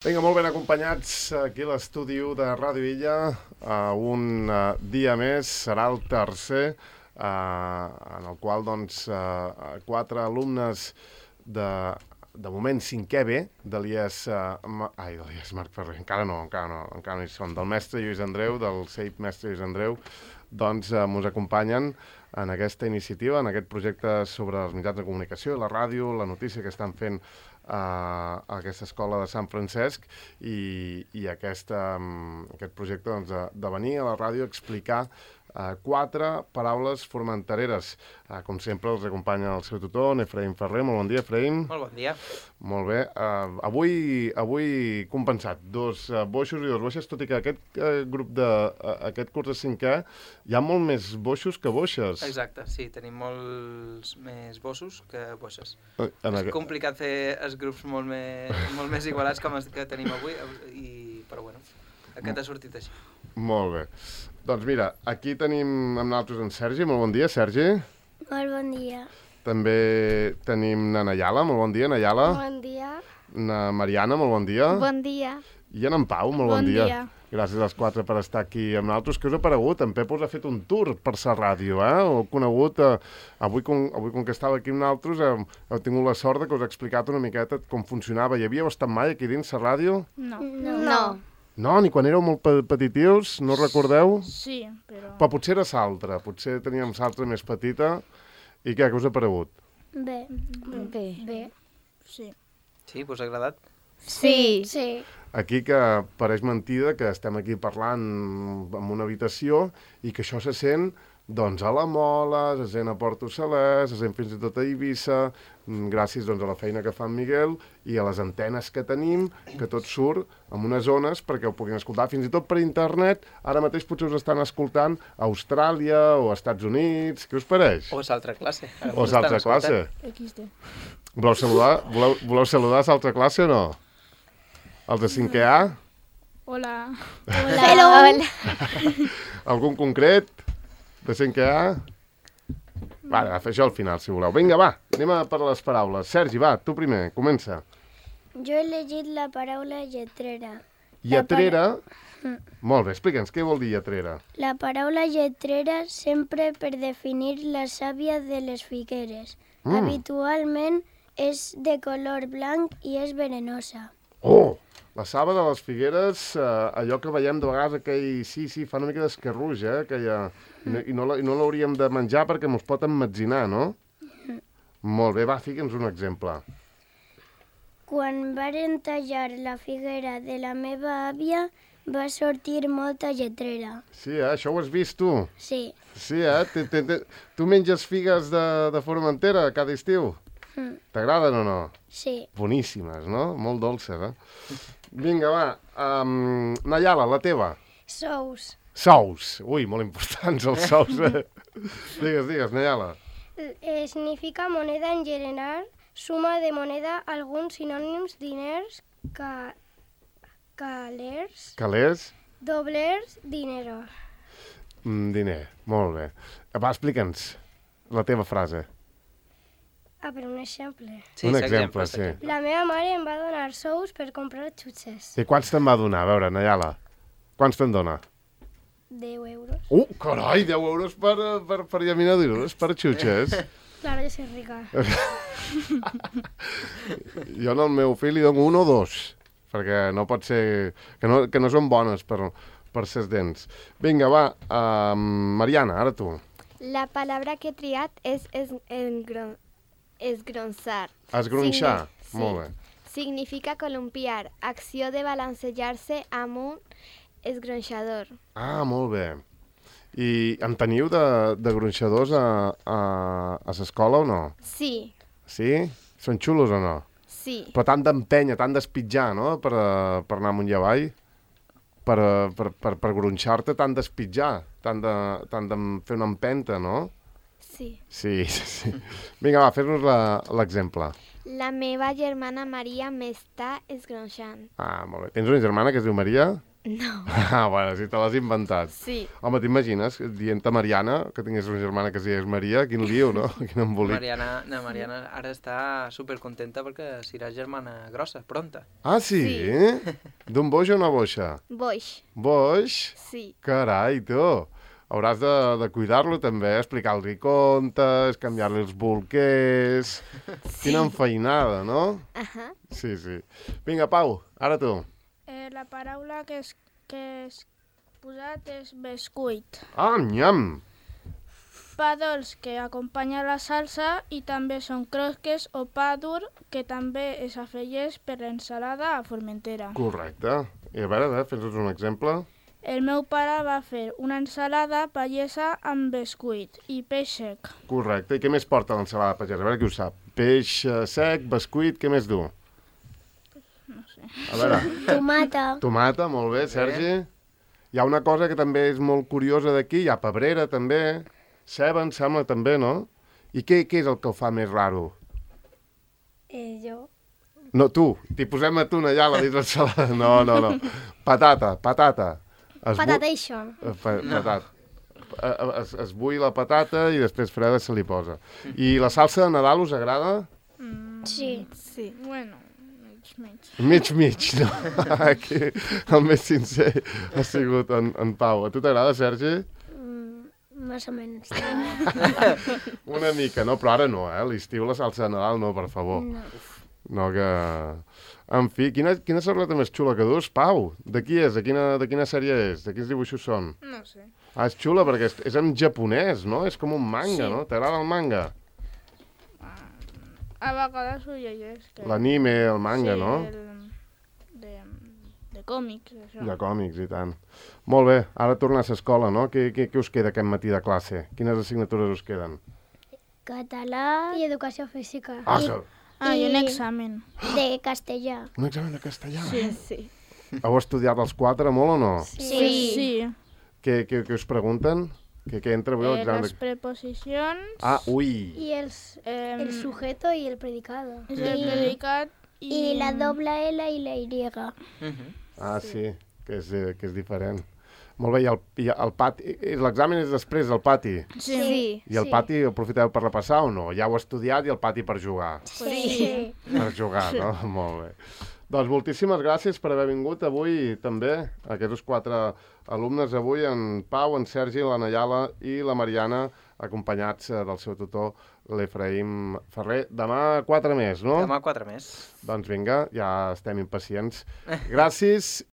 Vinga, molt ben acompanyats aquí a l'estudi 1 de Ràdio Illa. Un dia més, serà el tercer, en el qual doncs, 4 alumnes de moment 5è B de l'IES Marc Ferrer, encara no hi són, del mestre Lluís Andreu, del CEIP mestre Lluís Andreu, doncs mos acompanyen en aquesta iniciativa, en aquest projecte sobre els mitjans de comunicació, la ràdio, la notícia que estan fent a aquesta escola de Sant Francesc i aquest projecte doncs, de venir a la ràdio a explicar 4 paraules formentereres. Com sempre, els acompanya el seu tutor, Efraïm Ferrer. Molt bon dia, Efraïm. Molt bon dia. Molt bé. Avui compensat, 2 boixos i 2 boixes, tot i que aquest curs de 5è hi ha molt més boixos que boixes. Exacte, sí, tenim molts més bossos que boixes. És complicat fer els grups molt més igualats com els que tenim avui, però bueno, aquest ha sortit així. Molt bé. Doncs mira, aquí tenim amb nosaltres en Sergi. Molt bon dia, Sergi. Molt bon dia. També tenim na Nayala. Molt bon dia, Nayala. Bon dia. Na Mariana, molt bon dia. Bon dia. I en Pau, molt bon dia. Gràcies als 4 per estar aquí amb nosaltres. Què us ha paregut? En Pep us ha fet un tour per la ràdio, Heu conegut, avui com que estava aquí amb nosaltres, heu tingut la sort que us ha explicat una miqueta com funcionava. Hi havíeu estat mai aquí dins la ràdio? No. No, ni quan éreu molt petitius, no recordeu? Sí, però... Però potser era l'altra, potser teníem l'altra més petita. I què us ha paregut? Bé. Sí. Sí, us ha agradat? Sí. Aquí que pareix mentida que estem aquí parlant en una habitació i que això se sent doncs a la Mola, se sent a Porto Salès, se sent fins i tot a Eivissa, gràcies doncs, a la feina que fa en Miguel i a les antenes que tenim, que tot surt en unes zones perquè ho puguin escoltar, fins i tot per internet. Ara mateix potser us estan escoltant a Austràlia o a Estats Units. Què us pareix? O és altra classe. O és altra classe. XD. Voleu saludar a l'altra classe o no? Els de 5è A? Hola. Hello. Algun concret de 5è A? Va, fer això al final, si voleu. Vinga, va, anem a per les paraules. Sergi, va, tu primer, comença. Jo he llegit la paraula lletrera. Lletrera? Molt bé, explica'ns, què vol dir lletrera? La paraula lletrera sempre per definir la sàvia de les figueres. Habitualment és de color blanc i és venenosa. Oh! La saba de les figueres, allò que veiem de vegades, aquell... Sí, fa una mica d'esquerruix, aquella... I no l'hauríem de menjar perquè mos pot emmetzinar, no? Molt bé, va, fica'ns un exemple. Quan varen tallar la figuera de la meva àvia, va sortir molta lletrera. Sí, això ho has vist, tu? Sí. Sí, Tu menges figues de Formentera cada estiu? T'agraden o no? Sí. Boníssimes, no? Molt dolces, Vinga, va. Nayala, la teva. Sous. Sous. Ui, molt importants els sous, Digues, Nayala. Significa moneda en general, suma de moneda, alguns sinònims, diners, calers, doblers, dinero. Diner, molt bé. Va, explica'ns la teva frase. Per un exemple. Sí, un exemple, sí. La meva mare em va donar sous per comprar xutxes. I quants te'n va donar? A veure, Nayala, quants te'n dona? 10 euros. Carai, 10 euros per llaminadures, per xutxes. Claro, jo soy rica. Jo al meu fill li dono 1 o 2, perquè no pot ser... Que no són bones per ses dents. Vinga, va, Mariana, ara tu. La palabra que he triat és esgronçar. Esgronxar, Sí. molt bé. Significa columpiar, acció de balancejar-se amb un esgronxador. Molt bé. I en teniu de gronxadors a l'escola o no? Sí, Sí? Són xulos o no? sí. Però tant d'empènyer, tant d'espitjar, no?, per anar amunt i avall, per gronxar-te, tant d'espitjar, tant de fer una empenta, no? Sí. Sí. Vinga, va, fes-nos l'exemple. La meva germana Maria m'està esgronxant. Molt bé. Tens una germana que es diu Maria? No. Bueno, si te l'has inventat. Sí. Home, t'imagines dient-te Mariana, que tingués una germana que es digués Maria, quin lío, no? Quin embolic. Mariana ara està supercontenta perquè serà germana grossa, pronta. Ah, sí? Sí. D'un boix o una boixa? Boix. Boix? Sí. Carai, tu. Hauràs de cuidar-lo també, explicar-li contes, canviar-li els bolquers... Sí. Quina enfeinada, no? Ajá. Sí, sí. Vinga, Pau, ara tu. La paraula que és posat és bescuit. Ah, nyam! Pa dolç que acompanya la salsa i també són crosques o pa dur que també es afegeix per l'ensalada a Formentera. Correcte. I a veure, fes-nos un exemple. El meu pare va fer una ensalada pagesa amb bescuit i peix sec. Correcte. I què més porta l'ensalada pagesa? A veure qui ho sap. Peix sec, bescuit, què més du? No sé. A veure. Tomata. Tomata, molt bé, Sergi. Hi ha una cosa que també és molt curiosa d'aquí, hi ha pebrera també, ceba, em sembla també, no? I què és el que ho fa més raro? Jo. No, tu, t'hi posem a tu allà a la dins l'ensalada. No. Patata. Patatation. Patata. Es bull la patata i després freda se li posa. I la salsa de Nadal us agrada? Sí. Sí. Bueno, mig. Mig, no? Aquí el més sincer ha sigut en Pau. A tu t'agrada, Sergi? Més o menys. Una mica, no? Però ara no, l'estiu la salsa de Nadal no, per favor. No, que... En fi, quina sarleta més xula que dus, Pau? De qui és? De quina sèrie és? De quins dibuixos són? No sé. Ah, és xula perquè és en japonès, no? És com un manga, Sí. no? T'agrada el manga? A vegades ho llegeix. L'anime, el manga, sí, no? De còmics, això. De còmics, i tant. Molt bé, ara tornes a l'escola, no? Què us queda aquest matí de classe? Quines assignatures us queden? Català i educació física. I un examen. De castellà. Un examen de castellà? Sí. Heu estudiat els 4 molt o no? Sí. Què us pregunten? Què entra avui a l'examen Les preposicions, Ah, ui! I el sujeto i el predicado. el predicat I la doble L i la Y. Ah, sí, que és diferent. Molt bé, i el pati... L'examen és després del pati. Sí. I el pati el aprofiteu per repassar o no? Ja ho heu estudiat i el pati per jugar. Sí. Per jugar, no? Molt bé. Doncs moltíssimes gràcies per haver vingut avui també, aquests 4 alumnes avui, en Pau, en Sergi, la Nayala i la Mariana, acompanyats del seu tutor, l'Efraïm Ferrer. Demà 4 més, no? Demà 4 més. Doncs vinga, ja estem impacients. Gràcies